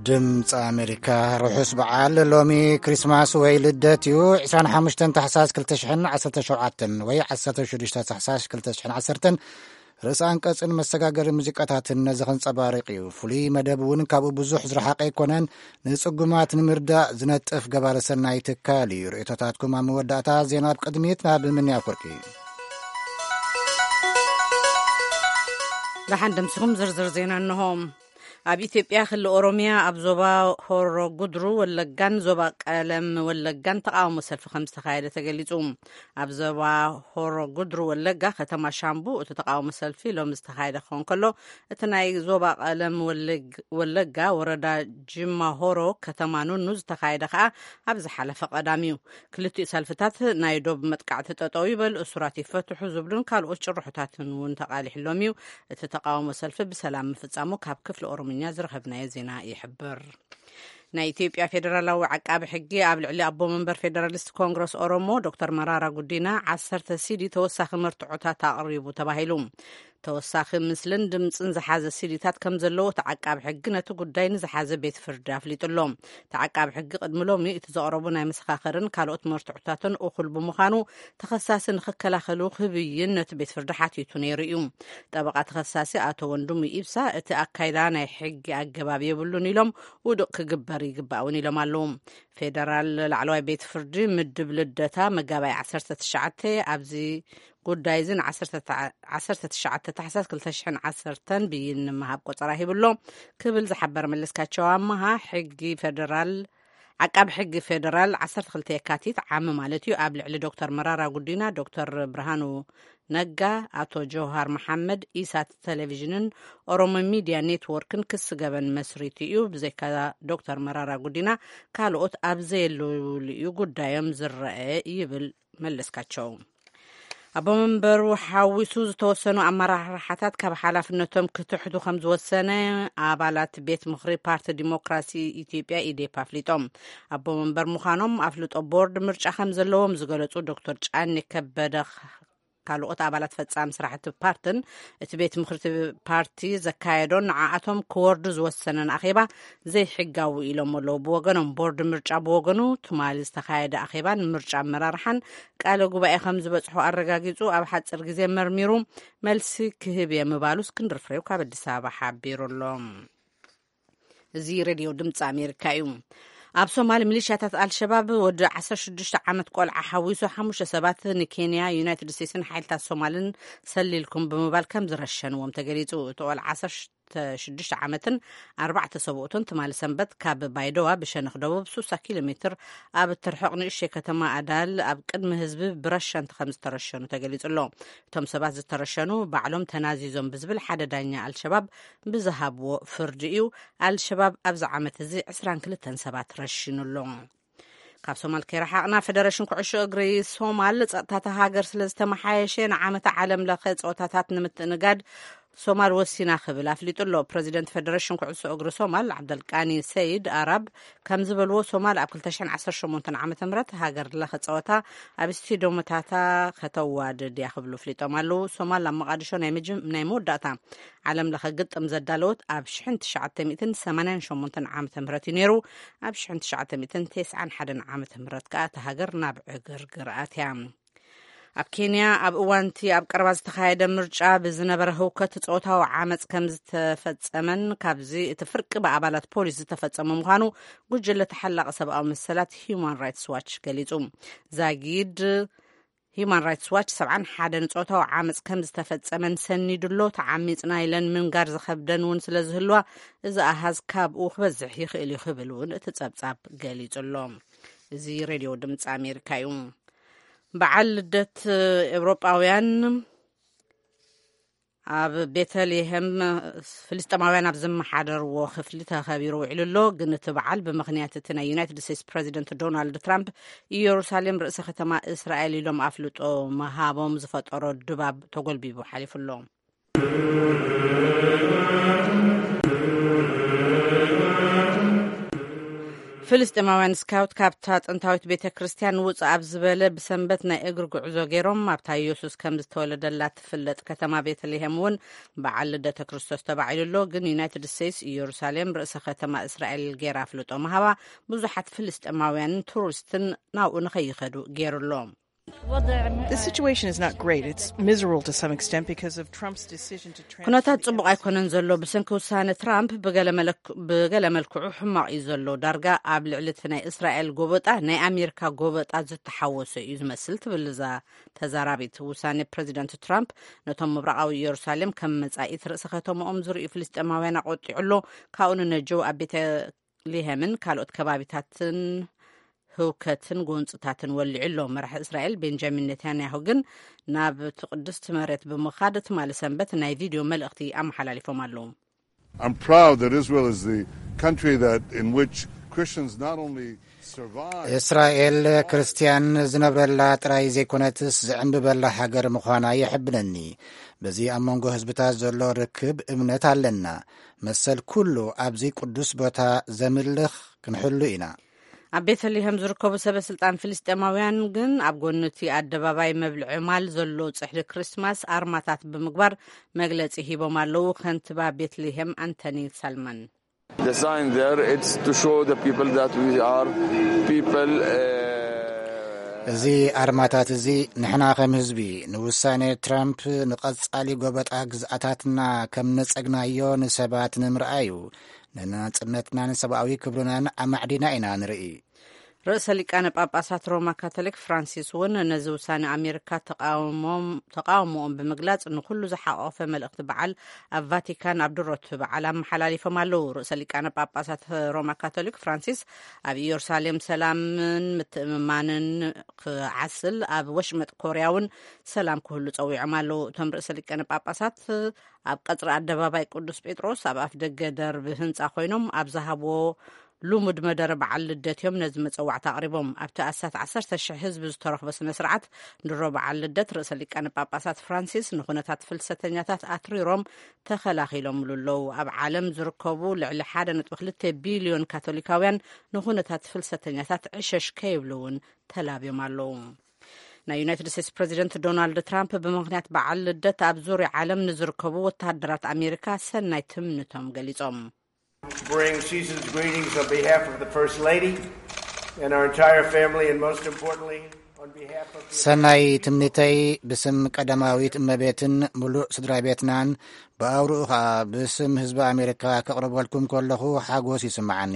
ድምፂ ኣሜሪካ። ርሑስ በዓል። ሎሚ ክሪስማስ ወይ ልደት እዩ። ዕስራን ሓሙሽተን ታሕሳስ ክልተ ሽሕን ዓሰርተ ሸውዓተን ወይ ዓሰርተ ሽዱሽተ ታሕሳስ ክልተ ሽሕን ዓሰርተን ርእሰ ኣንቀጽን መሰጋገሪ ሙዚቃታትን ነዚ ከንጸባርቕ እዩ። ፍሉይ መደብ እውን ካብኡ ብዙሕ ዝረሓቐ ኣይኮነን። ንጽጉማት ንምርዳእ ዝነጥፍ ገባረ ሰናይ ትካል እዩ። ርእቶታትኩም ኣብ መወዳእታ። ዜና ኣብ ቅድሚት ናብ ምንያ ፍርቂ። ደሓን ደምስኹም። ዝርዝር ዜና እንሆ። ኣብ ኢትዮጵያ ክልል ኦሮሚያ ኣብ ዞባ ሆሮ ጉድሩ ወለጋን ዞባ ቀለም ወለጋን ተቃውሞ ሰልፊ ከም ዝተኻየደ ተገሊጹ። ኣብ ዞባ ሆሮ ጉድሩ ወለጋ ከተማ ሻምቡ እቲ ተቃውሞ ሰልፊ ሎም ዝተኻየደ ክኸውን ከሎ፣ እቲ ናይ ዞባ ቀለም ወለግ-፣ ወለጋ ወረዳ ጅማ ሆሮ ከተማ ኑኑ ዝተኻየደ ከኣ ኣብ ዝሓለፈ ቀዳም እዩ። ክልቲኡ ሰልፍታት ናይ ዶብ መጥቃዕቲ ጠጠው ይበል፣ እሱራት ይፈትሑ ዝብሉን ካልኦት ጭርሖታትን እውን ተቃሊሕሎም እዩ። እቲ ተቃውሞ ሰልፊ ብሰላም ምፍጻሙ ካብ ክፍሊ ኦሮምኛ ዝረኸብናዮ ዜና ይሕብር። ናይ ኢትዮጵያ ፌዴራላዊ ዓቃቢ ሕጊ ኣብ ልዕሊ ኣቦ መንበር ፌዴራሊስት ኮንግረስ ኦሮሞ ዶክተር መራራ ጉዲና ዓሰርተ ሲዲ ተወሳኺ መርትዖታት ኣቕሪቡ ተባሂሉ። ተወሳኺ ምስልን ድምፅን ዝሓዘ ሲዲታት ከም ዘለዎ እቲ ዓቃቢ ሕጊ ነቲ ጉዳይ ንዝሓዘ ቤት ፍርዲ ኣፍሊጡ ኣሎ። እቲ ዓቃቢ ሕጊ ቅድሚ ሎሚ እቲ ዘቕረቡ ናይ መሰኻኽርን ካልኦት መርትዖታትን እኹል ብምዃኑ ተኸሳሲ ንኽከላኸሉ ክብይን ነቲ ቤት ፍርዲ ሓቲቱ ነይሩ እዩ። ጠበቓ ተኸሳሲ ኣቶ ወንድሙ ኢብሳ እቲ ኣካይዳ ናይ ሕጊ ኣገባብ የብሉን ኢሎም ውዱቕ ክግበር ይግባእ እውን ኢሎም ኣለዉ። ፌደራል ላዕለዋይ ቤት ፍርዲ ምድብ ልደታ መጋባይ ዓሰርተ ትሽዓተ ኣብዚ ጉዳይ እዚ ን ዓሰርተ ትሽዓተ ታሕሳስ ክልተ ሽሕን ዓሰርተን ብይን ንምሃብ ቆጸራ ሂብሎ ክብል ዝሓበረ መለስካቸው ኣመሃ፣ ሕጊ ፌደራል፣ ዓቃቢ ሕጊ ፌደራል ዓሰርተ ክልተ የካቲት ዓሚ ማለት እዩ ኣብ ልዕሊ ዶክተር መራራ ጉዲና፣ ዶክተር ብርሃኑ ነጋ፣ ኣቶ ጀውሃር መሓመድ፣ ኢሳት ቴሌቪዥንን ኦሮሞ ሚድያ ኔትወርክን ክሲ ገበን መስሪቱ እዩ። ብዘይካ ዶክተር መራራ ጉዲና ካልኦት ኣብ ዘየለውሉ እዩ ጉዳዮም ዝረአ ይብል መለስካቸው። ኣቦ መንበሩ ሓዊሱ ዝተወሰኑ ኣመራርሓታት ካብ ሓላፍነቶም ክትሕቱ ከም ዝወሰነ ኣባላት ቤት ምኽሪ ፓርቲ ዲሞክራሲ ኢትዮጵያ፣ ኢዴፓ፣ ኣፍሊጦም። ኣቦ መንበር ምዃኖም ኣፍልጦ ቦርድ ምርጫ ከም ዘለዎም ዝገለጹ ዶክተር ጫኔ ከበደ፣ ካልኦት ኣባላት ፈጻሚ ስራሕቲ ፓርትን እቲ ቤት ምኽሪ ፓርቲ ዘካየዶን ንዓኣቶም ክወርዱ ዝወሰነን ኣኼባ ዘይሕጋዊ ኢሎም ኣለዉ። ብወገኖም ቦርድ ምርጫ ብወገኑ ትማሊ ዝተኻየደ ኣኼባን ምርጫ ኣመራርሓን ቃለ ጉባኤ ከም ዝበጽሖ ኣረጋጊጹ ኣብ ሓጺር ግዜ መርሚሩ መልሲ ክህብ እየ ምባሉ እስክንድር ፍሬው ካብ ኣዲስ ኣበባ ሓቢሩ ኣሎ። እዚ ሬድዮ ድምፂ ኣሜሪካ እዩ። ኣብ ሶማል ሚሊሻታት ኣልሸባብ ወዲ ዓሰርተ ሽዱሽተ ዓመት ቆልዓ ሓዊሱ ሓሙሽተ ሰባት ንኬንያ፣ ዩናይትድ ስቴትስን ሓይልታት ሶማልን ሰሊልኩም ብምባል ከም ዝረሸንዎም ተገሊጹ። እቲ ቆልዓ ዓሰርተ ሽዱሽተ ዓመትን ኣርባዕተ ሰብኡትን ትማሊ ሰንበት ካብ ባይደዋ ብሸነኽ ደቡብ ሱሳ ኪሎ ሜትር ኣብ እትርሕቕ ንእሽተይ ከተማ ኣዳል ኣብ ቅድሚ ህዝቢ ብረሸንቲ ከም ዝተረሸኑ ተገሊጹ ኣሎ። እቶም ሰባት ዝተረሸኑ ባዕሎም ተናዚዞም ብዝብል ሓደ ዳኛ ኣልሸባብ ብዝሃብዎ ፍርዲ እዩ። ኣልሸባብ ኣብዚ ዓመት እዚ ዕስራን ክልተን ሰባት ረሺኑ ኣሎ። ካብ ሶማል ከይረሓቕና፣ ፌደሬሽን ኩዕሾ እግሪ ሶማል ጸጥታታ ሃገር ስለ ዝተመሓየሸ ንዓመታ ዓለም ለኸ ጸወታታት ንምትእንጋድ ሶማል ወሲና ክብል ኣፍሊጡ ኣሎ። ፕረዚደንት ፌደሬሽን ኩዕሶ እግሪ ሶማል ዓብደልቃኒ ሰይድ ኣራብ ከም ዝበልዎ፣ ሶማል ኣብ ክልተ ሽሕን ዓሰርተ ሸሞንተን ዓመተ ምህረት ሃገር ለኸ ጸወታ ኣብ ስቴዲዮምታታ ከተዋድድ እያ ክብሉ ኣፍሊጦም ኣለዉ። ሶማል ኣብ መቓድሾ ናይ መጀም-፣ ናይ መወዳእታ ዓለም ለኸ ግጥም ዘዳለወት ኣብ ሽሕን ትሽዓተ ሚእትን ሰማንያን ሸሞንተን ዓመተ ምህረት እዩ ነይሩ። ኣብ ሽሕን ትሽዓተ ሚእትን ተስዓን ሓደን ዓመተ ምህረት ከኣ እታ ሃገር ናብ ዕግርግር ኣትያ። ኣብ ኬንያ ኣብ እዋንቲ ኣብ ቀረባ ዝተኻየደ ምርጫ ብዝነበረ ህውከት ጾታዊ ዓመጽ ከም ዝተፈጸመን ካብዚ እቲ ፍርቂ ብኣባላት ፖሊስ ዝተፈጸመ ምዃኑ ጉጅለ ተሓላቒ ሰብኣዊ መሰላት ሂዩማን ራይትስ ዋች ገሊጹ። ዛጊድ ሂዩማን ራይትስ ዋች ሰብዓን ሓደን ጾታዊ ዓመጽ ከም ዝተፈጸመን ሰኒዱ ኣሎ። ተዓሚጽና ኢለን ምንጋር ዝኸብደን እውን ስለ ዝህልዋ፣ እዚ ኣሃዝ ካብኡ ክበዝሕ ይኽእል እዩ ክብል እውን እቲ ጸብጻብ ገሊጹ ኣሎ። እዚ ሬድዮ ድምጺ ኣሜሪካ እዩ። በዓል ልደት ኤውሮጳውያን ኣብ ቤተልሔም ፍልስጤማውያን ኣብ ዝመሓደርዎ ክፍሊ ተኸቢሩ ውዒሉ ኣሎ። ግን እቲ በዓል ብምኽንያት እቲ ናይ ዩናይትድ ስቴትስ ፕረዚደንት ዶናልድ ትራምፕ ኢየሩሳሌም ርእሰ ከተማ እስራኤል ኢሎም ኣፍልጦ ምሃቦም ዝፈጠሮ ድባብ ተጎልቢቡ ሓሊፉ ኣሎ። ፍልስጤማውያን ስካውት ካብታ ጥንታዊት ቤተ ክርስቲያን ውጽእ ኣብ ዝበለ ብሰንበት ናይ እግሪ ጉዕዞ ገይሮም ኣብታ ኢየሱስ ከም ዝተወለደላ ትፍለጥ ከተማ ቤተልሔም እውን በዓል ልደተ ክርስቶስ ተባዒሉ ኣሎ። ግን ዩናይትድ ስቴትስ ኢየሩሳሌም ርእሰ ከተማ እስራኤል ገይራ ኣፍልጦ ምሃባ ብዙሓት ፍልስጤማውያንን ቱሪስትን ናብኡ ንኸይኸዱ ገይሩ ኣሎ። The situation is not great. It's miserable to some extent because of Trump's decision to ኩነታት ጽቡቕ ኣይኮነን ዘሎ። ብሰንኪ ውሳነ ትራምፕ ብገለ መለክ- ብገለ መልክዑ ሕማቕ እዩ ዘሎ። ዳርጋ ኣብ ልዕሊ እቲ ናይ እስራኤል ጎበጣ ናይ ኣሜሪካ ጎበጣ ዝተሓወሰ እዩ ዝመስል፣ ትብል እዛ ተዛራቢት። ውሳኔ ፕረዚደንት ትራምፕ ነቶም ምብራቓዊ ኢየሩሳሌም ከም መጻኢት ርእሰ ከተማኦም ዝርእዩ ፍልስጤማውያን ኣቆጢዑ ኣሎ። ካብኡ ንነጀው ኣብ ቤተ ልሄምን ካልኦት ከባቢታትን ህውከትን ጎንጽታትን ወሊዑ ኣሎ። መራሒ እስራኤል ቤንጃሚን ኔታንያሁ ግን ናብ እቲ ቅድስቲ መሬት ብምኻድ ትማሊ ሰንበት ናይ ቪድዮ መልእኽቲ ኣመሓላሊፎም ኣለዉ። I'm proud that Israel is the country that in which Christians not only survive. እስራኤል ክርስትያን ዝነብረላ ጥራይ ዘይኮነትስ ዝዕንብበላ ሃገር ምዃና የሕብነኒ። በዚ ኣብ መንጎ ህዝብታት ዘሎ ርክብ እምነት ኣለና። መሰል ኩሉ ኣብዚ ቅዱስ ቦታ ዘምልኽ ክንሕሉ ኢና። ኣብ ቤተልሔም ዝርከቡ ሰበ ስልጣን ፍልስጤማውያን ግን ኣብ ጎኒ እቲ ኣደባባይ መብልዒ ማል ዘሎ ጽሕዲ ክሪስማስ ኣርማታት ብምግባር መግለጺ ሂቦም ኣለዉ። ከንቲባ ቤትልሔም ኣንቶኒ ሳልማን The sign there, it's to show the people that we are people. Uh, እዚ ኣርማታት እዚ ንሕና ከም ህዝቢ ንውሳኔ ትራምፕ ንቐጻሊ ጎበጣ ግዝኣታትና ከም ነጸግናዮ ንሰባት ንምርኣዩ፣ ንናጽነትናን ሰብኣዊ ክብርናን ኣማዕዲና ኢና ንርኢ። ርእሰ ሊቃነ ጳጳሳት ሮማ ካቶሊክ ፍራንሲስ እውን ነዚ ውሳኔ ኣሜሪካ ተቃውሞኦም ብምግላጽ ንኩሉ ዝሓቆፈ መልእኽቲ በዓል ኣብ ቫቲካን ኣብ ድሮት በዓል ኣመሓላሊፎም ኣለዉ። ርእሰ ሊቃነ ጳጳሳት ሮማ ካቶሊክ ፍራንሲስ ኣብ ኢየሩሳሌም ሰላምን ምትእምማንን ክዓስል፣ ኣብ ወሽመጥ ኮርያ እውን ሰላም ክህሉ ጸዊዖም ኣለዉ። እቶም ርእሰ ሊቃነ ጳጳሳት ኣብ ቀጽሪ ኣደባባይ ቅዱስ ጴጥሮስ ኣብ ኣፍ ደገ ደርቢ ህንጻ ኮይኖም ኣብ ዝሃብዎ ልሙድ መደረ በዓል ልደት እዮም ነዚ መጸዋዕታ ኣቕሪቦም። ኣብቲ ኣስታት ዓሰርተ ሽሕ ህዝቢ ዝተረኽቦ ስነ ስርዓት ድሮ በዓል ልደት ርእሰ ሊቃነ ጳጳሳት ፍራንሲስ ንኹነታት ፍልሰተኛታት ኣትሪሮም ተኸላኺሎምሉ ኣለዉ። ኣብ ዓለም ዝርከቡ ልዕሊ ሓደ ነጥቢ ክልተ ቢልዮን ካቶሊካውያን ንኹነታት ፍልሰተኛታት ዕሸሽ ከይብሉ እውን ተላብዮም ኣለዉ። ናይ ዩናይትድ ስቴትስ ፕረዚደንት ዶናልድ ትራምፕ ብምኽንያት በዓል ልደት ኣብ ዙርያ ዓለም ንዝርከቡ ወተሃደራት ኣሜሪካ ሰናይ ትምንቶም ገሊጾም። Bring season's greetings on behalf of the First Lady and our entire family, and most importantly, on behalf of the ሰናይ ትምኒተይ ብስም ቀዳማዊት እመቤትን ምሉእ ስድራ ቤትናን ብኣውርኡ ኸኣ ብስም ህዝቢ ኣሜሪካ ከቕርበልኩም ከለኹ ሓጎስ ይስምዓኒ።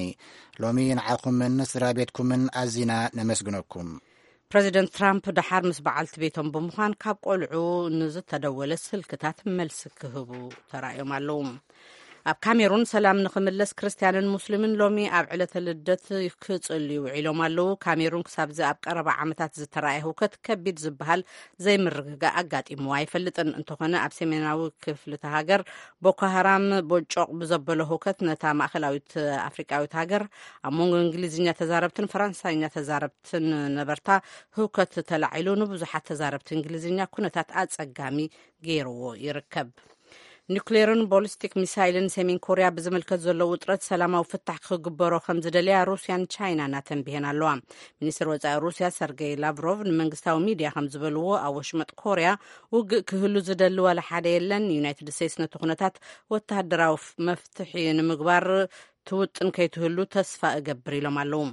ሎሚ ንዓኹምን ስድራ ቤትኩምን ኣዚና ነመስግነኩም። ፕረዚደንት ትራምፕ ደሓር ምስ በዓልቲ ቤቶም ብምዃን ካብ ቆልዑ ንዝተደወለ ስልክታት መልሲ ክህቡ ተራእዮም ኣለዉ። ኣብ ካሜሩን ሰላም ንኽምለስ ክርስትያንን ሙስሊምን ሎሚ ኣብ ዕለተ ልደት ክጽልዩ ውዒሎም ኣለዉ። ካሜሩን ክሳብዚ ኣብ ቀረባ ዓመታት ዝተራእየ ህውከት ከቢድ ዝበሃል ዘይምርግጋእ ኣጋጢምዋ ኣይፈልጥን። እንተኾነ ኣብ ሰሜናዊ ክፍልቲ ሃገር ቦኮ ሃራም ቦጮቕ ብዘበሎ ህውከት ነታ ማእከላዊት ኣፍሪቃዊት ሃገር ኣብ መንጎ እንግሊዝኛ ተዛረብትን ፈረንሳይኛ ተዛረብትን ነበርታ ህውከት ተላዒሉ ንብዙሓት ተዛረብቲ እንግሊዝኛ ኩነታት ኣጸጋሚ ገይርዎ ይርከብ። ኒውክሌርን ቦሊስቲክ ሚሳይልን ሰሜን ኮርያ ብዝምልከት ዘሎ ውጥረት ሰላማዊ ፍታሕ ክግበሮ ከም ዝደልያ ሩስያን ቻይናን ኣተንቢሀን ኣለዋ። ሚኒስትር ወጻኢ ሩስያ ሰርጌይ ላቭሮቭ ንመንግስታዊ ሚድያ ከም ዝበልዎ ኣብ ወሽመጥ ኮርያ ውግእ ክህሉ ዝደሊ ዋላ ሓደ የለን። ዩናይትድ ስቴትስ ነቲ ኩነታት ወተሃደራዊ መፍትሒ ንምግባር ትውጥን ከይትህሉ ተስፋ እገብር ኢሎም ኣለዉ።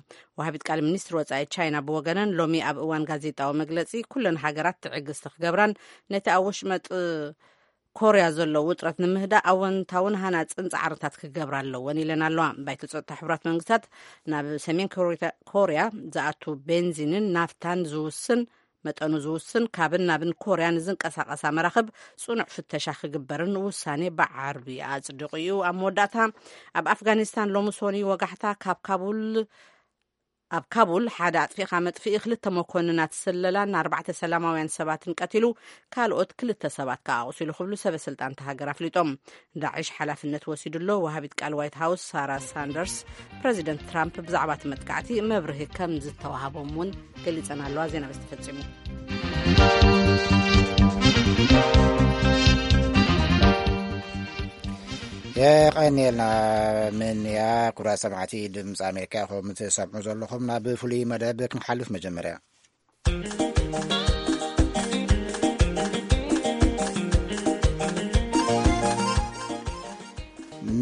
ወሃቢት ቃል ሚኒስትር ወጻኢ ቻይና ብወገነን ሎሚ ኣብ እዋን ጋዜጣዊ መግለጺ ኩለን ሃገራት ትዕግስቲ ክገብራን ነቲ ኣብ ወሽመጥ ኮርያ ዘሎ ውጥረት ንምህዳእ ኣወንታውን ሃናጽን ጻዕርታት ክገብራ ኣለወን ኢለን ኣለዋ። ባይቶ ጸጥታ ሕቡራት መንግስታት ናብ ሰሜን ኮርያ ዝኣቱ ቤንዚንን ናፍታን ዝውስን መጠኑ ዝውስን ካብን ናብን ኮርያ ንዝንቀሳቐሳ መራኽብ ጽኑዕ ፍተሻ ክግበርን ውሳኔ ብዓርቢ ኣጽዲቑ እዩ። ኣብ መወዳእታ ኣብ ኣፍጋኒስታን ሎሚ ሶኒ ወጋሕታ ካብ ካቡል ኣብ ካቡል ሓደ ኣጥፊእኻ መጥፍኢ ክልተ መኮንናት ስለላን ኣርባዕተ ሰላማውያን ሰባትን ቀቲሉ ካልኦት ክልተ ሰባት ከኣ ኣቑሲሉ ክብሉ ሰበ ስልጣን እታ ሃገር ኣፍሊጦም። ዳዕሽ ሓላፍነት ወሲዱ ኣሎ። ወሃቢት ቃል ዋይት ሃውስ ሳራ ሳንደርስ ፕረዚደንት ትራምፕ ብዛዕባ እቲ መጥቃዕቲ መብርሂ ከም ዝተዋሃቦም እውን ገሊጸን ኣለዋ። ዜና በዚ ተፈጺሙ። የቐንየልና። ምንያ ኩራ ሰማዕቲ ድምፂ ኣሜሪካ ኢኹም ትሰምዑ ዘለኹም። ናብ ፍሉይ መደብ ክንሓልፍ መጀመርያ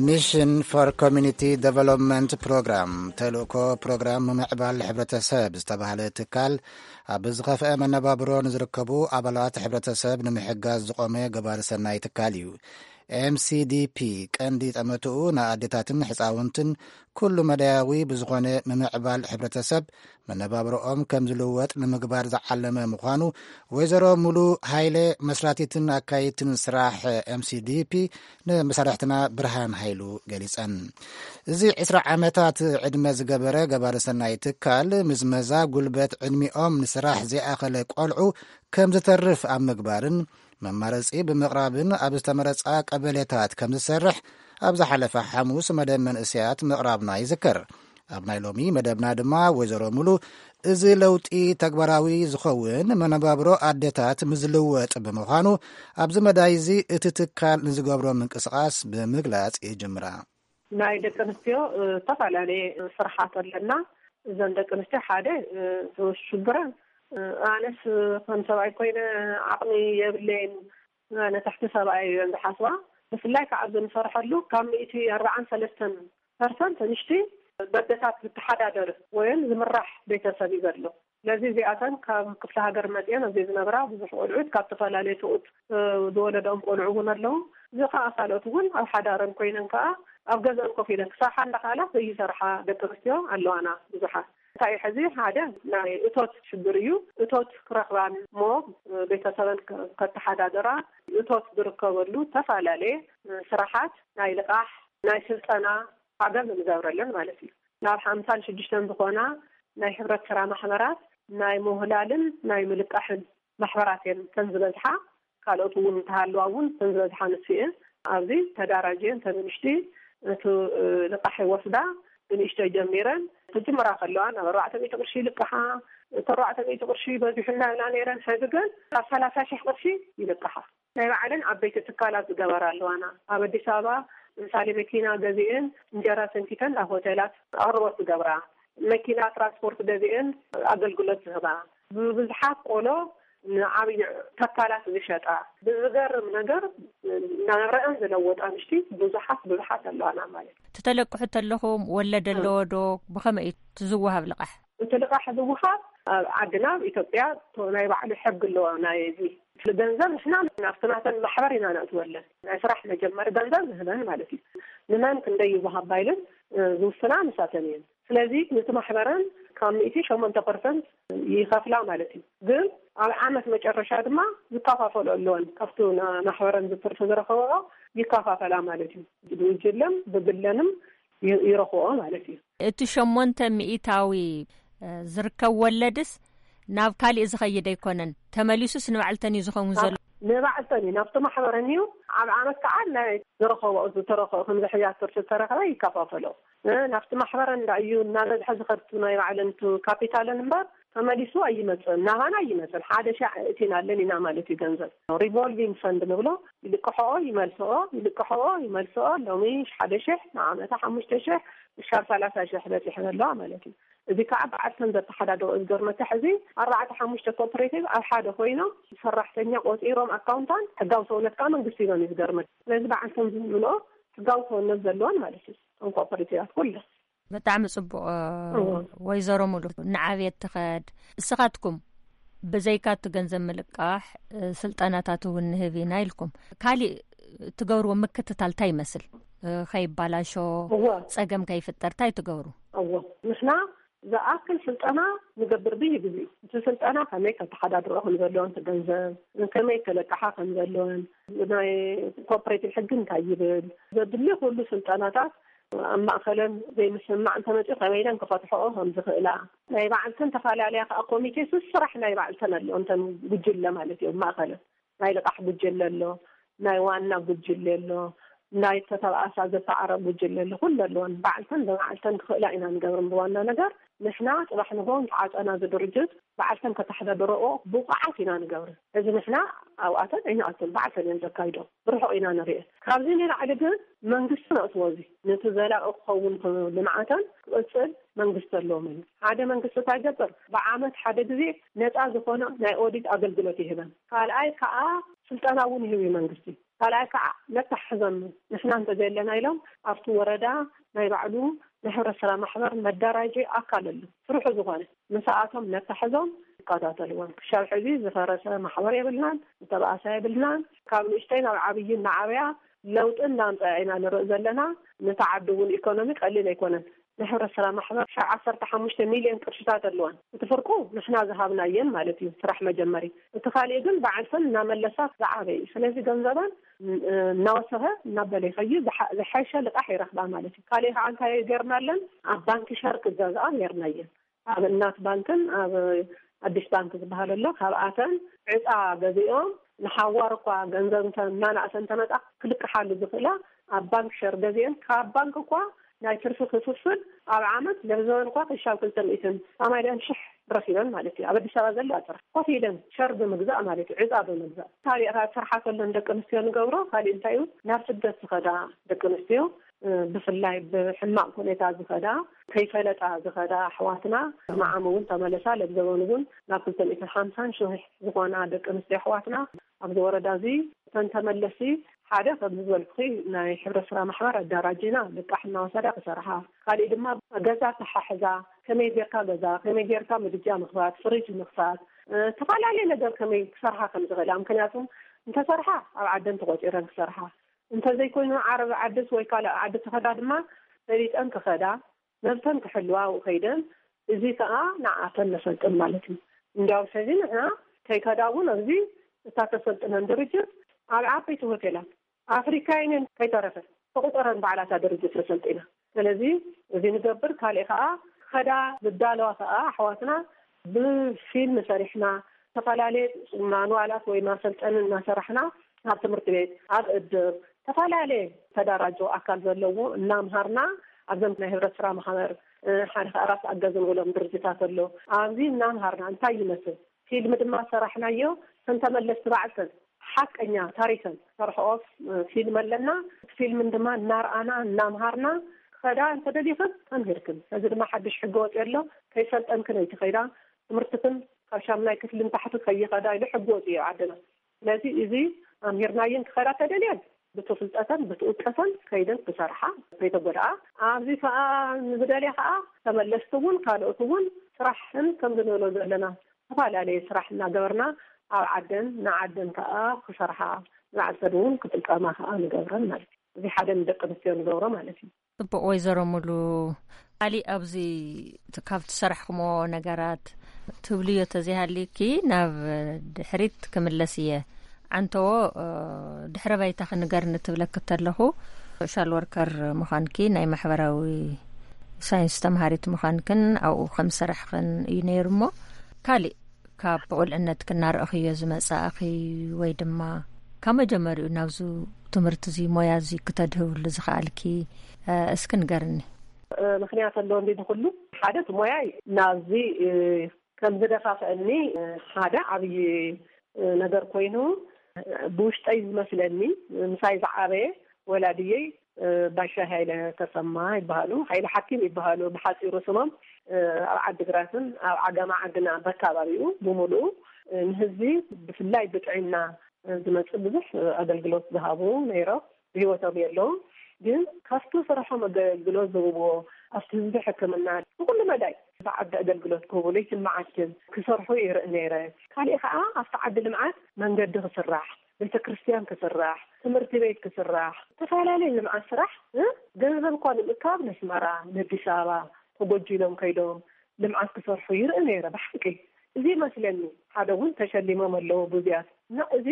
ሚሽን ፎር ኮሚኒቲ ዴቨሎፕመንት ፕሮግራም፣ ተልእኮ ፕሮግራም ምምዕባል ሕብረተሰብ ዝተባህለ ትካል፣ ኣብ ዝኸፍአ መነባብሮ ንዝርከቡ ኣባላት ሕብረተሰብ ንምሕጋዝ ዝቖመ ገባሪ ሰናይ ትካል እዩ። M C D P ቀንዲ ጠመትኡ ንኣዴታትን ሕፃውንትን ኩሉ መዳያዊ ብዝኾነ ምምዕባል ሕብረተሰብ መነባብሮኦም ከም ዝልወጥ ንምግባር ዝዓለመ ምዃኑ ወይዘሮ ሙሉ ሃይለ፣ መስራቲትን ኣካይድትን ስራሕ M C D P፣ ንመሳርሕትና ብርሃን ሃይሉ ገሊጸን። እዚ ዕስራ ዓመታት ዕድመ ዝገበረ ገባሪ ሰናይ ትካል፣ ምዝመዛ ጉልበት ዕድሚኦም ንስራሕ ዘይኣኸለ ቆልዑ ከም ዝተርፍ ኣብ ምግባርን መማረጺ ብምቕራብን ኣብ ዝተመረጻ ቀበሌታት ከም ዝሰርሕ ኣብ ዝሓለፈ ሓሙስ መደብ መንእሰያት ምቕራብና ይዝከር። ኣብ ናይ ሎሚ መደብና ድማ ወይዘሮ ሙሉ፣ እዚ ለውጢ ተግባራዊ ዝኸውን መነባብሮ ኣዴታት ምዝልወጥ ብምዃኑ፣ ኣብዚ መዳይ እዚ እቲ ትካል ንዝገብሮ ምንቅስቓስ ብምግላጽ ይጅምራ። ናይ ደቂ ኣንስትዮ፣ እ፣ ዝተፈላለየ ስራሓት ኣለና። እዘን ደቂ ኣንስትዮ ሓደ፣ እ፣ ሽግረን፣ እ፣ ኣነስ ከም ሰብኣይ ኮይነ ዓቕሚ የብለይን፣ ኣነ ትሕቲ ሰብኣይ እየን ዝሓስባ። ብፍላይ ከዓ ኣብዚ ንሰርሐሉ ካብ ሚእቲ ኣርባዓን ሰለስተን ፐርሰንት ንሽቲ በደታት ዝተሓዳደር ወይም ዝምራሕ ቤተሰብ እዩ ዘሎ። ስለዚ እዚኣተን ካብ ክፍለ ሃገር መፅአን ኣብዚ ዝነብራ ብዙሕ ቆልዑት ካብ ዝተፈላለዩ ስኡት፣ እ፣ ዝወለደኦም ቆልዑ እውን ኣለዉ። እዚ ከዓ ካልኦት እውን ኣብ ሓዳረን ኮይነን ከዓ ኣብ ገዛን ኮፍ ኢለን ክሰርሓ እንዳኽኣላ ዘይሰርሓ ደቂ ኣንስትዮ ኣለዋና ብዙሓት። እንታይ እዩ ሕዚ ሓደ ናይ እቶት ሽግር እዩ። እቶት ክረኽባን እሞ ቤተሰበን ከ-፣ ከተሓዳድራ እቶት ዝርከበሉ ዝተፈላለየ ስራሓት ናይ ልቓሕ፣ ናይ ስልጠና ዓገብ ንገብረለን ማለት እዩ። ናብ ሓምሳን ሽዱሽተን ዝኾና ናይ ሕብረት ስራ ማሕበራት ናይ ምውህላልን ናይ ምልቃሕን ማሕበራት እየን እተን ዝበዝሓ። ካልኦት እውን እንተሃለዋ እውን እተን ዝበዝሓ ንሱ እየን። ኣብዚ ተዳራጅ እየን። እተን ንእሽቲ እቲ፣ እ፣ ልቃሕ ይወስዳ ብንእሽተይ ጀሚረን ክጅምራ ከለዋ ናብ ኣርባዕተ ሚእቲ ቅርሺ ይልቅሓ። እቲ ኣርባዕተ ሚእቲ ቅርሺ በዚሑና ኢና ነይረን። ሕዚ ግን ኣብ ሰላሳ ሺሕ ቅርሺ ይልቅሓ። ናይ ባዕለን ዓበይቲ ትካላት ዝገበራ ኣለዋና። ኣብ ኣዲስ ኣበባ ምሳሌ መኪና ገዚእን እንጀራ ሰንኪተን ናብ ሆቴላት ኣቕርቦት ዝገብራ፣ መኪና ትራንስፖርት ገዚእን ኣገልግሎት ዝህባ፣ ብብዝሓት ቆሎ ንዓብዪ ተካላት ዝሸጣ፣ ብዝገርም ነገር ናብረአን ዝለወጣ ኣንሽቲ ብዙሓት ብዙሓት ኣለዋና ማለት እዩ። ትተለቅሑ ተለኹም ወለድ ኣለዎ ዶ? ብኸመይ እዩ ትዝወሃብ ልቓሕ? እቲ ልቓሕ ዝወሃብ ኣብ ዓድና ኣብ ኢትዮጵያ ናይ ባዕሉ ሕጊ ኣለዎ። ናይ እዚ ገንዘብ ንሕና ናብቲ ናተን ማሕበር ኢና ነእትወለን። ናይ ስራሕ መጀመሪ ገንዘብ ንህበን ማለት እዩ። ንመን ክንደይ ይወሃብ ባይልን፣ እ፣ ዝውስና ንሳተን እየን። ስለዚ ነቲ ማሕበረን ካብ ሚእቲ ሸሞንተ ፐርሰንት ይኸፍላ ማለት እዩ። ግን ኣብ ዓመት መጨረሻ ድማ ዝከፋፈሉ ኣለወን። ካብቲ ና-፣ ማሕበረን ዝትርፊ ዝረኸብኦ ይከፋፈላ ማለት እዩ። ብጉጅለን ብግለንም ይ-፣ ይረኽብኦ ማለት እዩ። እቲ ሸሞንተ ሚእታዊ፣ እ፣ ዝርከብ ወለድስ ናብ ካሊእ ዝኸይድ ኣይኮነን፣ ተመሊሱስ ንባዕልተን እዩ ዝኸውን ዘሎ? ንባዕልተን እዩ፣ ናብቲ ማሕበረን እዩ። ኣብ ዓመት ከዓ ናይ ዝረኸብኦ፣ ዝተረኸ-፣ ከምዚ ሕያት ትርፊ ዝተረኸበ ይከፋፈሎ። እ፣ ናብቲ ማሕበረን እንዳ እዩ እናበዝሐ ዝኸድ፣ ናይ ባዕለን እቲ ካፒታለን እምበር ተመሊሱ ኣይመጽእን፣ ናባና ኣይመጽእን። ሓደ ሻዕ እቲና ኣለን ኢና ማለት እዩ። ገንዘብ ሪቮልቪንግ ፈንድ ንብሎ፣ ይልቅሕኦ ይመልስኦ፣ ይልቅሕኦ ይመልስኦ። ሎሚ ሓደ ሽሕ፣ ንዓመታ ሓሙሽተ ሽሕ፣ ብሻር ሰላሳ ሽሕ በጺሐን ኣለዋ ማለት እዩ። እዚ ከዓ በዓልተን ዘተሓዳድሮ እዩ። ዝገርመካ ሕዚ ኣርባዕተ ሓሙሽተ ኮኦፐሬቲቭ ኣብ ሓደ ኮይኖም ሰራሕተኛ ቆፂሮም ኣካውንታን ሕጋዊ ሰውነት ከዓ መንግስቲ ሂቦም እዩ። ዝገርመካ ስለዚ በዓልተን ዝምልኦ ሕጋዊ ሰውነት ዘለወን ማለት እዩ። እቶም ኮኦፐሬቲቫት ኩለን። ብጣዕሚ ጽቡቕ። እዎ። ወይዘሮ ሙሉ፣ ንዓብየት ትኸድ። እስኻትኩም ብዘይካ እቲ ገንዘብ ምልቃሕ፣ እ፣ ስልጠናታት እውን ንህብ ኢና ኢልኩም፣ ካሊእ ትገብርዎ ምክትታል እንታይ ይመስል? እ፣ ከይባላሾ፣ እዎ። ጸገም ከይፍጠር እንታይ ትገብሩ? እዎ። ንሕና ዝኣክል ስልጠና ንገብር ብየግዜኡ። እቲ ስልጠና ከመይ ከተሓዳድሮ ከም ዘለወን፣ እቲ ገንዘብ ከመይ ከለቅሓ ከም ዘለወን፣ ናይ ኮኦፐሬቲቭ ሕጊ እንታይ ይብል፣ ዘድሊ ኩሉ ስልጠናታት ኣብ ማእከለን ዘይምስምማዕ እንተመፅኡ ከመይ ኢለን ክፈትሕኦ ከም ዝኽእላ፣ ናይ ባዕልተን ተፈላለያ ከዓ ኮሚቴ ስራሕ ናይ ባዕልተን ኣለዎ፣ እንተን ጉጅለ ማለት እዩ። ኣብ ማእከለን ናይ ልቓሕ ጉጅለ ኣሎ፣ ናይ ዋና ጉጅለ ኣሎ፣ ናይ ተተባኣሳ ዘተዓረብ ጉጅለ ኩሉ ኣለወን። ባዕልተን ብባዕልተን ክኽእላ ኢና ንገብር። ብዋና ነገር ንሕና ጽባሕ ንግሆ ተዓጸና ዝድርጅት ባዕልተን ከተሕዳድረኦ ብቑዓት ኢና ንገብር። እዚ ንሕና ኣብኣተን ኣይንኣቱን፣ ባዕልተን እየን ዘካይዶ። ብርሑቕ ኢና ንሪኤ። ካብዚ ንላዕሊ ግን መንግስቲ ነእትዎ። እዚ ነቲ ዘላቒ ክኸውን ልምዓተን ክቕጽል መንግስቲ ኣለዎም እዩ። ሓደ መንግስቲ እንታይ ይገብር? ብዓመት ሓደ ግዜ ነፃ ዝኾነ ናይ ኦዲት ኣገልግሎት ይህበን። ካልኣይ ከዓ ስልጠና እውን ይህብ እዩ መንግስቲ። ካልኣይ ከዓ ነታሕዞም፣ ንሕና እንተዘየለና ኢሎም ኣብቲ ወረዳ ናይ ባዕሉ ናይ ሕብረት ስራ ማሕበር መደራጀ ኣካል ኣሎ፣ ስርሑ ዝኾነ። ንስኣቶም ነታሕዞም ይከታተልዎም። ክሻብ ሕዚ ዝፈረሰ ማሕበር የብልናን፣ ዝተባእሰ የብልናን። ካብ ንእሽተይ ናብ ዓብዪ እናዓበያ ለውጢ እናምፀኣ ኢና ንርኢ ዘለና። ነቲ ዓዲ እውን ኢኮኖሚ ቀሊል ኣይኮነን። ናይ ሕብረት ስራ ማሕበር ክሻብ ዓሰርተ ሓሙሽተ ሚልዮን ቅርሽታት ኣለዋን። እቲ ፍርቁ ንሕና ዝሃብናየን ማለት እዩ፣ ስራሕ መጀመሪ። እቲ ካሊእ ግን ባዕልተን እናመለሳ ዝዓበ እዩ። ስለዚ ገንዘበን እናወሰኸ እናበለ ይኸይድ፣ ዝሓ-፣ ዝሓሸ ልቃሕ ይረኽባ ማለት እዩ። ካሊእ ከዓ እንታይ ገርናለን? ኣብ ባንኪ ሸር ክገዝኣ ገርናየን። ኣብ እናት ባንክን ኣብ ኣዲስ ባንክ ዝበሃል ኣሎ፣ ካብኣተን ዕፃ ገዚኦም ንሓዋር እኳ ገንዘብ እንተ-፣ እናናእሰ እንተመጣ ክልቅሓሉ ዝኽእላ ኣብ ባንክ ሸር ገዚአን ካብ ባንክ እኳ ናይ ትርፊ ክፍፍል ኣብ ዓመት ለብዘበን እኳ ክሻብ ክልተ ሚእትን ኣማልያን ሽሕ ረኺበን ማለት እዩ። ኣብ ኣዲስ ኣበባ ዘሎ ጥራሕ ኮፍ ኢለን ሸር ብምግዛእ ማለት እዩ፣ ዕፃ ብምግዛእ። ካሊእ ካብ ስርሓ ከለን ደቂ ኣንስትዮ ንገብሮ ካሊእ እንታይ እዩ? ናብ ስደት ዝኸዳ ደቂ ኣንስትዮ፣ እ፣ ብፍላይ ብሕማቕ ኩነታ ዝኸዳ፣ ከይፈለጣ ዝኸዳ ኣሕዋትና፣ ንዓም እውን ተመለሳ ለብዘበን እውን ናብ ክልተ ሚእትን ሓምሳን ሽሕ ዝኾና ደቂ ኣንስትዮ ኣሕዋትና ኣብዚ ወረዳ እዚ እተን ተመለሲ ሓደ ከም ዝበልኩኺ ናይ ሕብረት ስራ ማሕበር ኣዳራጅና ልቃሕ እናወሰዳ ክሰርሓ፣ ካሊእ ድማ ገዛ ተሓሕዛ ከመይ ጌርካ ገዛ፣ ከመይ ጌርካ ምድጃ ምኽፋት፣ ፍሪጅ ምኽፋት፣ እ፣ ተፈላለየ ነገር ከመይ ክሰርሓ ከም ዝኽእላ። ምክንያቱም እንተሰርሓ ኣብ ዓደን ተቆፂረን ክሰርሓ፣ እንተዘይኮይኑ ዓረብ ዓድስ ወይ ካልእ ዓዲ ተኸዳ ድማ ፈሊጠን ክኸዳ፣ መብተን ክሕልዋ ኣብኡ ከይደን፣ እዚ ከዓ ንዓተን ነሰልጥን ማለት እዩ። እንዲያውስ ሕዚ ንሕና ከይከዳ እውን ኣብዚ እታ ተሰልጥነን ድርጅት ኣብ ዓበይቲ ሆቴላት ኣፍሪካ ዩኒየን ከይተረፈ ተቁጠረን ባዕላታ ድርጅት ተሰልጢና። ስለዚ እዚ ንገብር። ካሊእ ከዓ ከዳ ዝዳለዋ ከዓ ኣሕዋትና ብፊልም ሰሪሕና፣ ዝተፈላለየ ማንዋላት ወይ ማሰልጠኒ እናሰራሕና ኣብ ትምህርቲ ቤት፣ ኣብ እድር፣ ዝተፈላለየ ተደራጀ ኣካል ዘለዎ እናምሃርና፣ ኣብዘም ናይ ህብረት ስራ ማሕበር፣ እ፣ ሓደ ከዓ ራስ ኣገዝ ንብሎም ድርጅታት ኣሎ። ኣብዚ እናምሃርና እንታይ ይመስል ፊልም ድማ ሰራሕናዮ። ከም ተመለስቲ ባዕልተን ሓቀኛ ታሪኸን ሰርሕኦ፣ እ፣ ፊልም ኣለና። እቲ ፊልምን ድማ እናርኣና እናምሃርና ከዳ እንተደሊኽን ተምሂርክን። እዚ ድማ ሓድሽ ሕጊ ወፂኡ ኣሎ። ከይሰልጠንክን ኣይትኸይዳ፣ ትምህርትክን ካብ ሻምናይ ክፍሊ ንታሕቲ ከይኸዳ ኢሉ ሕጊ ወፂኡ እዩ ዓድና። ስለዚ እዚ ኣምሂርናየን ክኸዳ ተደልየን ብቲ ፍልጠተን ብቲ እውቀተን ከይደን ክሰርሓ ከይተጎድኣ፣ ኣብዚ ከዓ ንዝደልያ ከዓ ተመለስቲ እውን ካልኦት እውን ስራሕን ከም ዝንብሎ ዘለና ዝተፈላለየ ስራሕ እናገበርና ኣብ ዓደን ንዓደን ከዓ ክሰርሓ ንባዕልተን እውን ክጥቀማ ከዓ ንገብረን ማለት እዩ። እዚ ሓደ ንደቂ ኣንስትዮ ንገብሮ ማለት እዩ። ጽቡቕ ወይዘሮ ሙሉ፣ ካሊእ ኣብዚ ካብ ትሰርሕክሞ ነገራት ትብልዮ ተዘይሃልይኪ ናብ ድሕሪት ክምለስ እየ። ዓንተዎ፣ እ፣ ድሕረ ባይታ ክንገርኒ ትብለኪ ተለኹ ሶሻል ወርከር ምዃንኪ ናይ ማሕበራዊ ሳይንስ ተምሃሪት ምዃንክን ኣብኡ ከም ዝሰራሕክን እዩ ነይሩ። እሞ ካሊእ ካብ ብቑልዕነትኪ እናረእኽዮ ዝመጻእኺ ወይ ድማ ካብ መጀመሪኡ ናብዚ ትምህርቲ እዚ ሞያ እዚ ክተድህብሉ ዝኸኣልኪ፣ እ፣ እስኪ ንገርኒ። እ፣ ምኽንያት ኣለዎ እንዲ ንኹሉ። ሓደ እቲ ሞያይ ናብዚ፣ እ፣ ከም ዝደፋፍአኒ፣ እ፣ ሓደ ዓብዪ፣ እ፣ ነገር ኮይኑ፣ እ፣ ብውሽጠይ ዝመስለኒ ምሳይ ዝዓበየ ወላድየይ፣ እ፣ ባሻ ሃይለ ተሰማ ይበሃሉ። ሃይለ ሓኪም ይበሃሉ ብሓፂሩ ስሞም። እ፣ ኣብ ዓዲግራትን ኣብ ዓጋማ ዓድና በካባቢኡ ብምሉኡ፣ እ፣ ንህዝቢ ብፍላይ ብጥዕና፣ እ፣ ዝመፅእ ብዙሕ፣ እ፣ ኣገልግሎት ዝሃቡ ነይሮም። ብህይወቶም የለውም። ግን ካብቲ ስርሖም ኣገልግሎት ዝህብዎ ኣብቲ ህዝቢ ሕክምና ብኩሉ መዳይ ብዓዲ ኣገልግሎት ክህቡ ለይትን መዓልትን ክሰርሑ ይርኢ ነይረ። ካሊእ ከዓ ኣብቲ ዓዲ ልምዓት መንገዲ ክስራሕ፣ ቤተ ክርስቲያን ክስራሕ፣ ትምህርቲ ቤት ክስራሕ፣ ዝተፈላለዩ ልምዓት ስራሕ፣ እ፣ ገንዘብ እኳ ንምእካብ ነስመራ፣ ነኣዲስ ኣበባ ተጎጂሎም ከይዶም ልምዓት ክሰርሑ ይርኢ ነይረ ብሓቂ። እዚ መስለኒ ሓደ እውን ተሸሊሞም ኣለዎ ብዙያት እና እዚ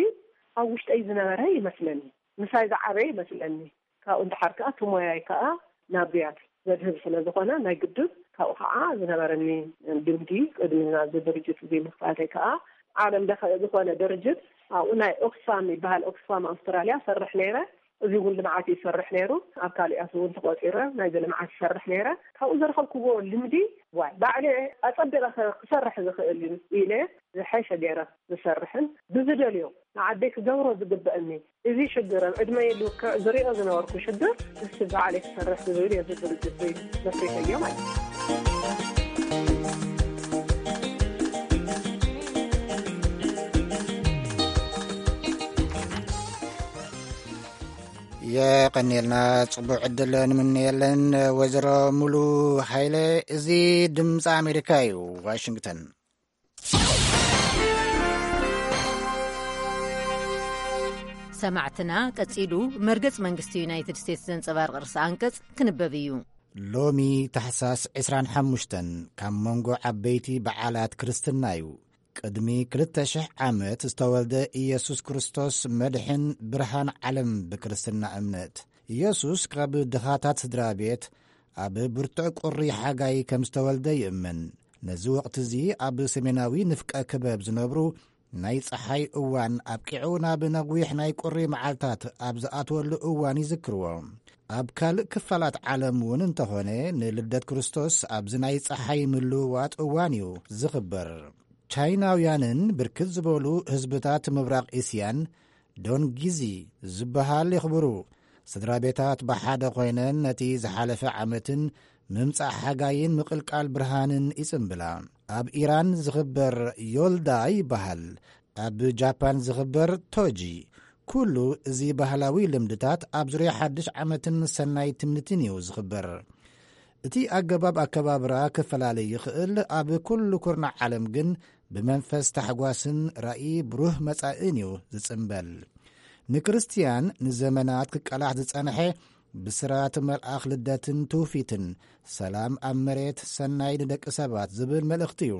ኣብ ውሽጠይ ዝነበረ ይመስለኒ። ምሳይ ዝዓበየ ይመስለኒ። ካብኡ እንድሓር ከኣ እቲ ሞያይ ከኣ ናብ ብያት ዘድህብ ስለ ዝኾነ ናይ ግድን ካብኡ ከኣ ዝነበረኒ ልምዲ ቅድሚ ናብዚ ድርጅት እዚ ምኽፋተይ ከኣ ዓለም ለኸ ዝኾነ ድርጅት ኣብኡ ናይ ኦክስፋም ይበሃል፣ ኦክስፋም ኣውስትራልያ ሰርሕ ነይረ። እዚ እውን ልምዓት ይሰርሕ ነይሩ። ኣብ ካሊኣት እውን ተቆፂረ ናይዚ ልምዓት ይሰርሕ ነይረ። ካብኡ ዝረኸብክዎ ልምዲ፣ ዋይ ባዕለ ኣፀቢቐ ክሰርሕ ዝኽእል እዩ ኢለ ዝሐሸ ገይረ ዝሰርሕን ብዝደልዮ ንዓደይ ክገብሮ ዝግበእኒ፣ እዚ ሽግር ኣብ ዕድመይ ልክዕ ዝሪኦ ዝነበርኩ ሽግር፣ ንሱ ባዕለይ ክሰርሕ ዝብል እየ፣ እዚ ድርጅት እዚ መስሪተዮ ማለት እዩ። የቐንየልና። ጽቡቕ ዕድል ንምንየለን ወይዘሮ ሙሉ ሃይለ። እዚ ድምፂ ኣሜሪካ እዩ፣ ዋሽንግተን። ሰማዕትና፣ ቀጺሉ መርገጽ መንግስቲ ዩናይትድ ስቴትስ ዘንጸባርቕ ርእሰ ኣንቀጽ ክንበብ እዩ። ሎሚ ታሕሳስ ዕስራን ሓሙሽተን ካብ መንጎ ዓበይቲ በዓላት ክርስትና እዩ። ቅድሚ ክልተ ሽሕ ዓመት ዝተወልደ ኢየሱስ ክርስቶስ፣ መድሕን ብርሃን ዓለም፣ ብክርስትና እምነት። ኢየሱስ ካብ ድኻታት ስድራ ቤት፣ ኣብ ብርቱዕ ቁሪ ሓጋይ ከም ዝተወልደ ይእመን። ነዚ ወቕቲ እዚ ኣብ ሰሜናዊ ንፍቀ ክበብ ዝነብሩ፣ ናይ ጸሓይ እዋን ኣብቂዑ ናብ ነዊሕ ናይ ቁሪ መዓልታት ኣብ ዝኣትወሉ እዋን ይዝክርዎ። ኣብ ካልእ ክፋላት ዓለም እውን እንተኾነ፣ ንልደት ክርስቶስ ኣብዚ ናይ ጸሓይ ምልውዋጥ እዋን እዩ ዝኽበር። ቻይናውያንን ብርክት ዝበሉ ህዝብታት ምብራቕ እስያን ዶንጊዚ ዝበሃል የኽብሩ። ስድራ ቤታት ብሓደ ኮይነን ነቲ ዝሓለፈ ዓመትን ምምጻእ ሓጋይን ምቕልቃል ብርሃንን ይጽምብላ። ኣብ ኢራን ዝኽበር ዮልዳ ይበሃል። ኣብ ጃፓን ዝኽበር ቶጂ። ኩሉ እዚ ባህላዊ ልምድታት ኣብ ዙርያ ሓድሽ ዓመትን ሰናይ ትምኒትን እዩ ዝኽበር። እቲ ኣገባብ ኣከባብራ ክፈላለ ይኽእል፣ ኣብ ኩሉ ኩርናዕ ዓለም ግን ብመንፈስ ታሕጓስን ራእይ ብሩህ መጻእን እዩ ዝጽምበል። ንክርስትያን ንዘመናት ክቃላሕ ዝጸንሐ ብስራት መልኣኽ ልደትን ትውፊትን፣ ሰላም ኣብ መሬት፣ ሰናይ ንደቂ ሰባት ዝብል መልእኽቲ እዩ።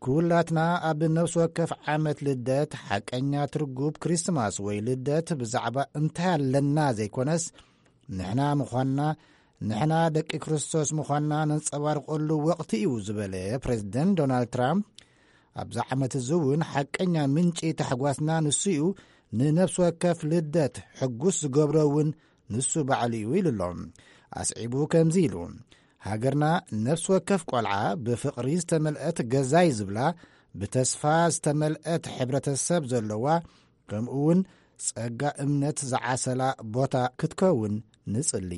ኩላትና ኣብ ነፍሲ ወከፍ ዓመት ልደት ሓቀኛ ትርጉብ ክሪስማስ ወይ ልደት ብዛዕባ እንታይ ኣለና ዘይኮነስ፣ ንሕና ምዃንና፣ ንሕና ደቂ ክርስቶስ ምዃንና ነንጸባርቐሉ ወቕቲ እዩ ዝበለ ፕሬዝደንት ዶናልድ ትራምፕ፣ ኣብዚ ዓመት እዚ እውን ሓቀኛ ምንጪ ታሕጓስና ንሱ እዩ፣ ንነፍሲ ወከፍ ልደት ሕጉስ ዝገብሮ እውን ንሱ ባዕሉ እዩ ኢሉ ኣሎ። ኣስዒቡ ከምዚ ኢሉ፣ ሃገርና ነፍሲ ወከፍ ቆልዓ ብፍቕሪ ዝተመልአት ገዛይ ዝብላ፣ ብተስፋ ዝተመልአት ሕብረተሰብ ዘለዋ፣ ከምኡ እውን ጸጋ እምነት ዝዓሰላ ቦታ ክትከውን ንጽሊ።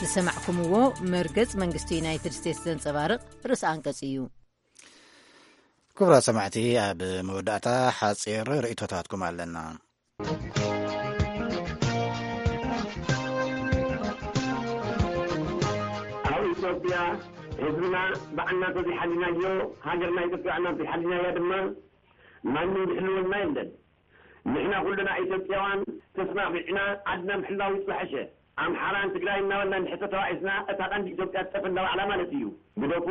ዝሰማዕኩምዎ መርገጽ መንግስቲ ዩናይትድ ስቴትስ ዘንጸባርቕ ርእሲ ኣንቀጽ እዩ። ክቡራት ሰማዕቲ፣ ኣብ መወዳእታ ሓጺር ርእይቶታትኩም ኣለና። ኣብ ኢትዮጵያ ህዝብና ባዕልና እንተዘይሓሊናዮ፣ ሃገርና ኢትዮጵያ ባዕልና እንተዘይሓሊናያ ድማ ማንም ዝሕልወልና የለን። ንሕና ኩልና ኢትዮጵያውያን ተስማዕሚዕና ዓድና ምሕላው ዝሓሸ። ኣምሓራን ትግራይ እናበልና እንድሕር ተተባኢስና፣ እታ ቀንዲ ኢትዮጵያ ትጠፍእ ኣላ ባዕላ ማለት እዩ። ግደፉ፣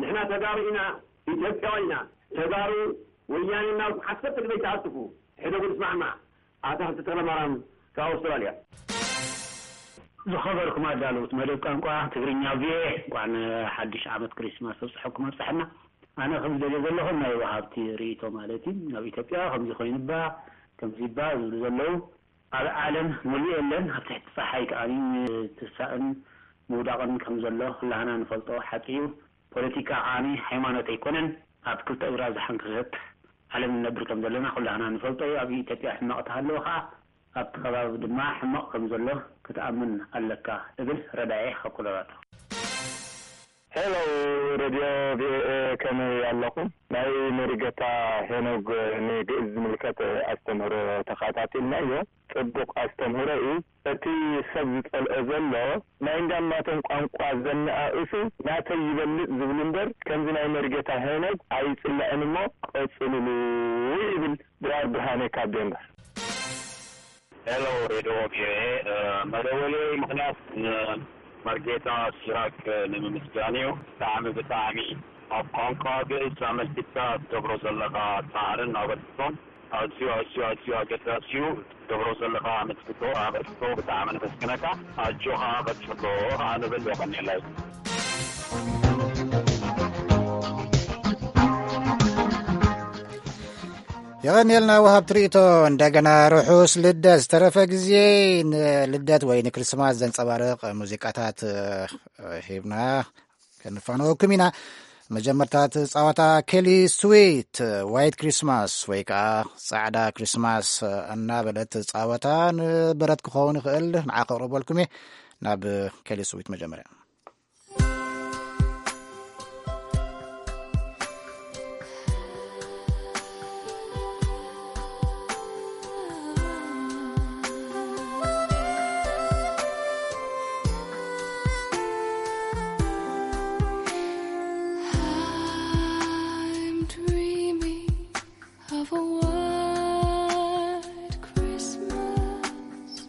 ንሕና ተጋሩ ኢና፣ ኢትዮጵያውያን ኢና። ተጋሩ ወያነ እናበልኩም ሓሰብቲ ግበይ ትኣትፉ። ሕደጉ ንስማዕማዕ። ኣታ ሃብተ ተኽለማርያም ካብ ኣውስትራልያ። ዝኸበርኩም ኣዳለውቲ መደብ ቋንቋ ትግርኛ ቪኦኤ፣ እንኳዕ ንሓድሽ ዓመት ክሪስማስ ኣብፀሐኩም ኣብፀሐና። ኣነ ከም ዝደልዮ ዘለኹ ናይ ወሃብቲ ርእይቶ ማለት እዩ። ኣብ ኢትዮጵያ ከምዚ ኮይኑባ፣ ከምዚባ ዝብሉ ዘለዉ ኣብ ዓለም ሙሉእ የለን። ኣብ ትሕቲ ፀሓይ ከኣ ትሳእን ምውዳቕን ከም ዘሎ ኩላህና ንፈልጦ ሓቂ እዩ። ፖለቲካ ዓሚ ሃይማኖት ኣይኮነን። ኣብ ክልተ እግራ ዝሓንከሰት ዓለም ንነብር ከም ዘለና ኩላህና ንፈልጦ እዩ። ኣብ ኢትዮጵያ ሕማቕ ተሃለወ ከኣ ኣብቲ ከባቢ ድማ ሕማቕ ከም ዘሎ ክትኣምን ኣለካ እብል። ረዳኤ ካብ ኮሎራዶ። ሄሎ ሬድዮ ቪኦኤ፣ ከመይ ኣለኹም? ናይ መሪጌታ ሄኖግ ንግእዝ ዝምልከት ኣስተምህሮ ተኸታቲልናዮ። ጽቡቕ ኣስተምህሮ እዩ። እቲ ሰብ ዝጸልኦ ዘሎ ናይ እንዳማቶም ቋንቋ ዘነኣእሱ ናተይ ይበልጽ ዝብሉ እምበር ከምዚ ናይ መሪጌታ ሄኖግ ኣይጽላእን እሞ ቀጽልሉ ይብል ድራር ብርሃነ ካብ ዴንቨር። ሄሎ ሬድዮ ቪኦኤ፣ መደወለይ ምኽንያት ንመርጌታ ሲራክ ንምምስጋን እዩ። ብጣዕሚ ብጣዕሚ ኣብ ቋንቋ ግእዝ ኣመልኪትካ ትገብሮ ዘለኻ ጻዕርን ኣበርክቶን ኣዝዩ ኣዝዩ ኣዝዩ ኣገዳሲ እዩ። ትገብሮ ዘለኻ ኣመልክቶ ኣበርክቶ ብጣዕሚ ነመስግነካ። ኣጆኻ ቀጽሎ ከኣ ንብል። የቐንየለይ። የቐንየልና ወሃብ ትርኢቶ። እንደገና ርሑስ ልደት። ዝተረፈ ግዜ ንልደት ወይ ንክርስማስ ዘንጸባርቕ ሙዚቃታት፣ እ፣ ሂብና ከንፋነወኩም ኢና። መጀመርታ እቲ ጸወታ ኬሊ ስዊት፣ ዋይት ክሪስማስ ወይ ከኣ ጻዕዳ ክሪስማስ እናበለት ጸወታ ንበረት ክኸውን ይኽእል፣ ንዓ ከቕርበልኩም እየ። ናብ ኬሊ ስዊት መጀመርያ። I'm dreaming of a white Christmas,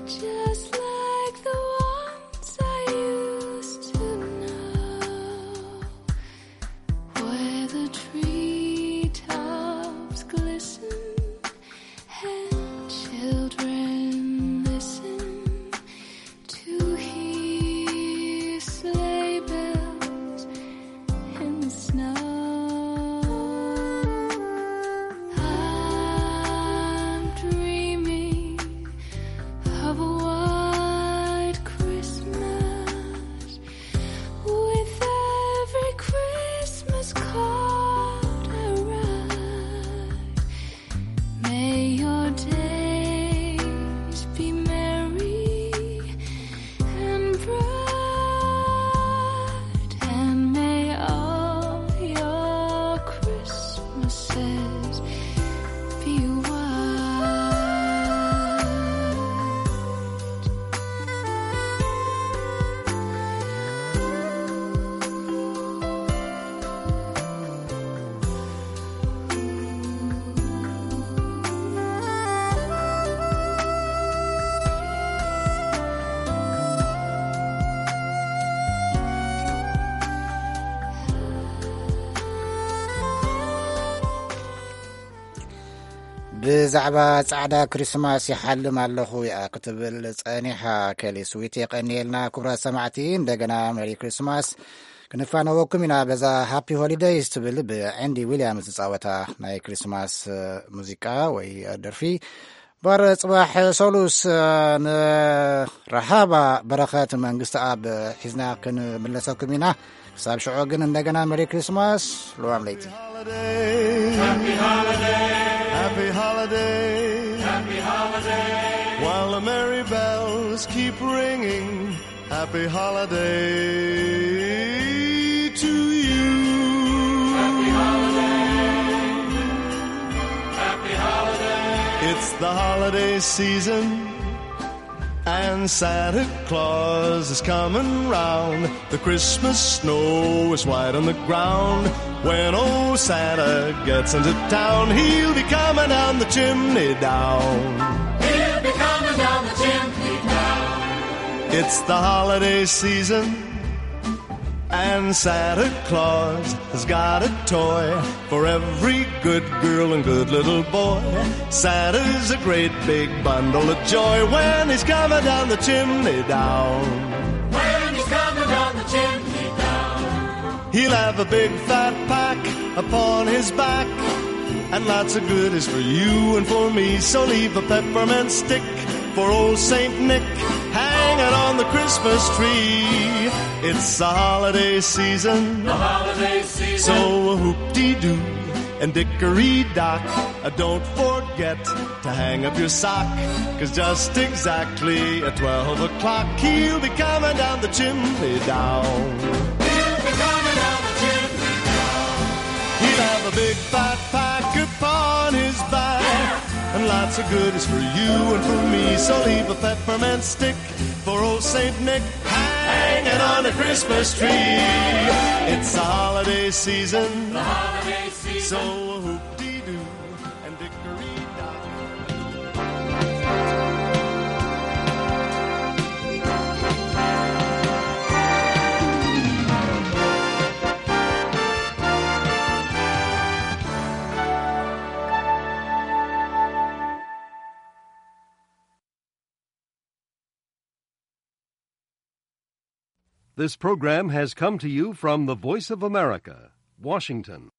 just like the ones I used to know, where the treetops glisten and children listen to hear sleigh bells in the snow. I'm dreaming of a white Christmas, with every Christmas card I write. May your days be merry and bright, and may all your Christmases be white. ብዛዕባ ጻዕዳ ክሪስማስ ይሓልም ኣለኹ እያ ክትብል ጸኒሓ። ኬሊ ስዊት፣ የቐንየልና። ክቡራት ሰማዕቲ፣ እንደገና መሪ ክሪስማስ ክንፋነወኩም ኢና። በዛ ሃፒ ሆሊደይስ ትብል ብዐንዲ ዊልያምስ ዝጻወታ ናይ ክሪስማስ ሙዚቃ ወይ ደርፊ። ባር ጽባሕ ሰሉስ ንረሃባ በረኸት መንግስቲ ኣብ ሒዝና ክንምለሰኩም ኢና። ክሳብ ሽዑ ግን እንደገና መሪ ክሪስማስ፣ ልዋም ለይቲ። Happy holiday. Happy holiday. Happy holiday. While the merry bells keep ringing, happy holiday to you. Happy holiday. Happy holiday. It's the holiday season, and Santa Claus is coming round. The Christmas snow is white on the ground. When old Santa gets into town, he'll be coming down the chimney down. He'll be coming down the chimney down. It's the holiday season, and Santa Claus has got a toy for every good girl and good little boy. Santa's a great big bundle of joy when he's coming down the chimney down. When he's coming down the chimney down. He'll have a big fat pack upon his back, and lots of goodies for you and for me. So leave a peppermint stick for old Saint Nick hanging on the Christmas tree. It's the holiday season. The holiday season. So a hoop-dee-doo and dickory-dock, uh, don't forget to hang up your sock, 'cause just exactly at twelve o'clock, he'll be coming down the chimney down. He'll be coming down the chimney down. He'll have a big fat pack upon his back, and lots of goodies for you and for me. So leave a peppermint stick for old Saint Nick hanging on the Christmas tree. It's the holiday season. The holiday season. So a hoop-dee-doo and dickory-dock. This program has come to you from the Voice of America, Washington.